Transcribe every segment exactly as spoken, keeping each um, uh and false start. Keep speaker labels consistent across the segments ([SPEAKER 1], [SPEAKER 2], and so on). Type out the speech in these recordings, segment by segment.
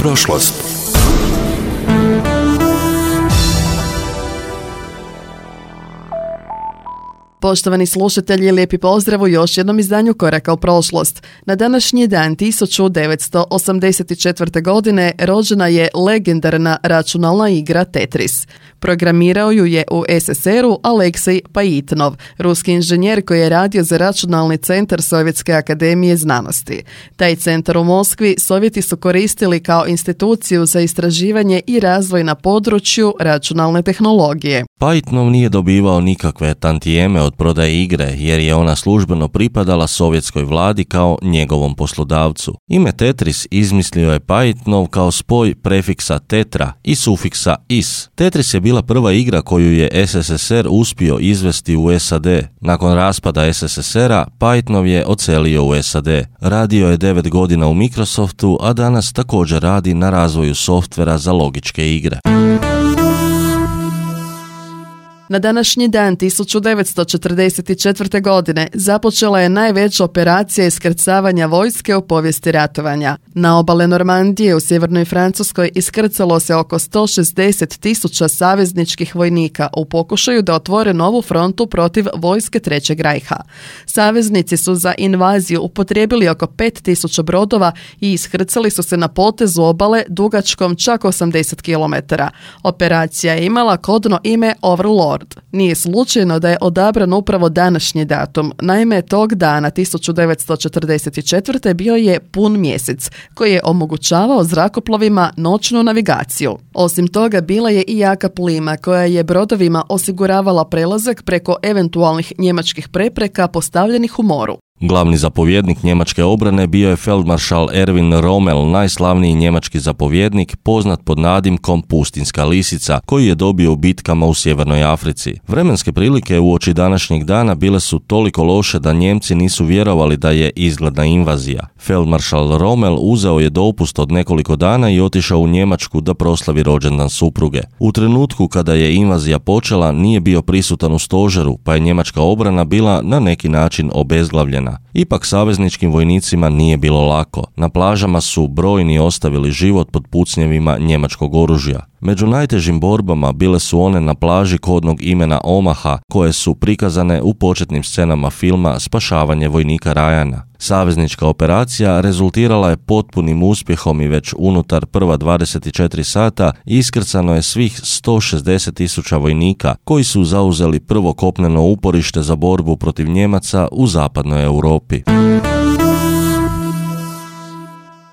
[SPEAKER 1] prošlost.
[SPEAKER 2] Poštovani slušatelji, lijepi pozdrav u još jednom izdanju Koraka u prošlost. Na današnji dan tisuću devetsto osamdeset četvrte. godine rođena je legendarna računalna igra Tetris. Programirao ju je u es es er-u Aleksej Pajitnov, ruski inženjer koji je radio za računalni centar Sovjetske akademije znanosti. Taj centar u Moskvi Sovjeti su koristili kao instituciju za istraživanje i razvoj na području računalne tehnologije.
[SPEAKER 3] Pajitnov nije dobivao nikakve tantijeme od prodaje igre jer je ona službeno pripadala sovjetskoj vladi kao njegovom poslodavcu. Ime Tetris izmislio je Pajitnov kao spoj prefiksa tetra i sufiksa is. Tetris je bila prva igra koju je es es es er uspio izvesti u es a de. Nakon raspada es es es era, Pajitnov je odselio u es a de. Radio je devet godina u Microsoftu, a danas također radi na razvoju softvera za logičke igre.
[SPEAKER 2] Na današnji dan tisuću devetsto četrdeset četvrte. godine započela je najveća operacija iskrcavanja vojske u povijesti ratovanja. Na obale Normandije u sjevernoj Francuskoj iskrcalo se oko sto šezdeset tisuća savezničkih vojnika u pokušaju da otvore novu frontu protiv vojske Trećeg rajha. Saveznici su za invaziju upotrijebili oko pet tisuća brodova i iskrcali su se na potezu obale dugačkom čak osamdeset kilometara. Operacija je imala kodno ime Overlord. Nije slučajno da je odabran upravo današnji datum. Naime, tog dana tisuću devetsto četrdeset četvrte. bio je pun mjesec, koji je omogućavao zrakoplovima noćnu navigaciju. Osim toga, bila je i jaka plima koja je brodovima osiguravala prelazak preko eventualnih njemačkih prepreka postavljenih u moru.
[SPEAKER 3] Glavni zapovjednik njemačke obrane bio je feldmaršal Erwin Rommel, najslavniji njemački zapovjednik, poznat pod nadimkom Pustinska lisica, koji je dobio u bitkama u Sjevernoj Africi. Vremenske prilike uoči današnjeg dana bile su toliko loše da Njemci nisu vjerovali da je izgledna invazija. Feldmaršal Rommel uzeo je dopust od nekoliko dana i otišao u Njemačku da proslavi rođendan supruge. U trenutku kada je invazija počela, nije bio prisutan u stožeru, pa je njemačka obrana bila na neki način obezglavljena. Ipak savezničkim vojnicima nije bilo lako. Na plažama su brojni ostavili život pod pucnjevima njemačkog oružja. Među najtežim borbama bile su one na plaži kodnog imena Omaha, koje su prikazane u početnim scenama filma Spašavanje vojnika Ryana. Saveznička operacija rezultirala je potpunim uspjehom i već unutar prva dvadeset četiri sata iskrcano je svih sto šezdeset tisuća vojnika koji su zauzeli prvo kopneno uporište za borbu protiv Njemaca u zapadnoj Europi.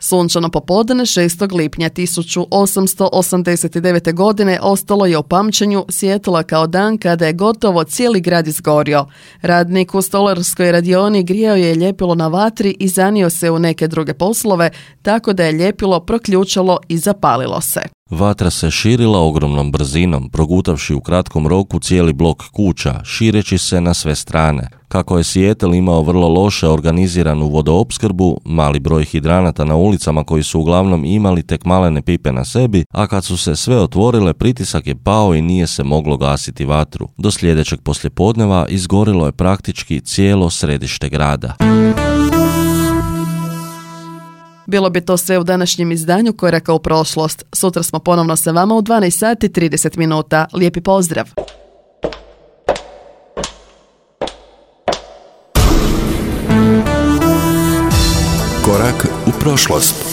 [SPEAKER 2] Sunčano popodne šestog lipnja tisuću osamsto osamdeset devete. godine ostalo je u pamćenju Sijetla kao dan kada je gotovo cijeli grad izgorio. Radnik u stolarskoj radioni grijao je ljepilo na vatri i zanio se u neke druge poslove, tako da je ljepilo proključalo i zapalilo se.
[SPEAKER 3] Vatra se širila ogromnom brzinom, progutavši u kratkom roku cijeli blok kuća, šireći se na sve strane. Kako je Seattle imao vrlo loše organiziranu vodoopskrbu, mali broj hidranata na ulicama koji su uglavnom imali tek malene pipe na sebi, a kad su se sve otvorile, pritisak je pao i nije se moglo gasiti vatru. Do sljedećeg poslijepodneva izgorilo je praktički cijelo središte grada.
[SPEAKER 2] Bilo bi to sve u današnjem izdanju Koraka u prošlost. Sutra smo ponovno sa vama u dvanaest sati i trideset minuta. Lijepi pozdrav!
[SPEAKER 1] Korak u prošlost.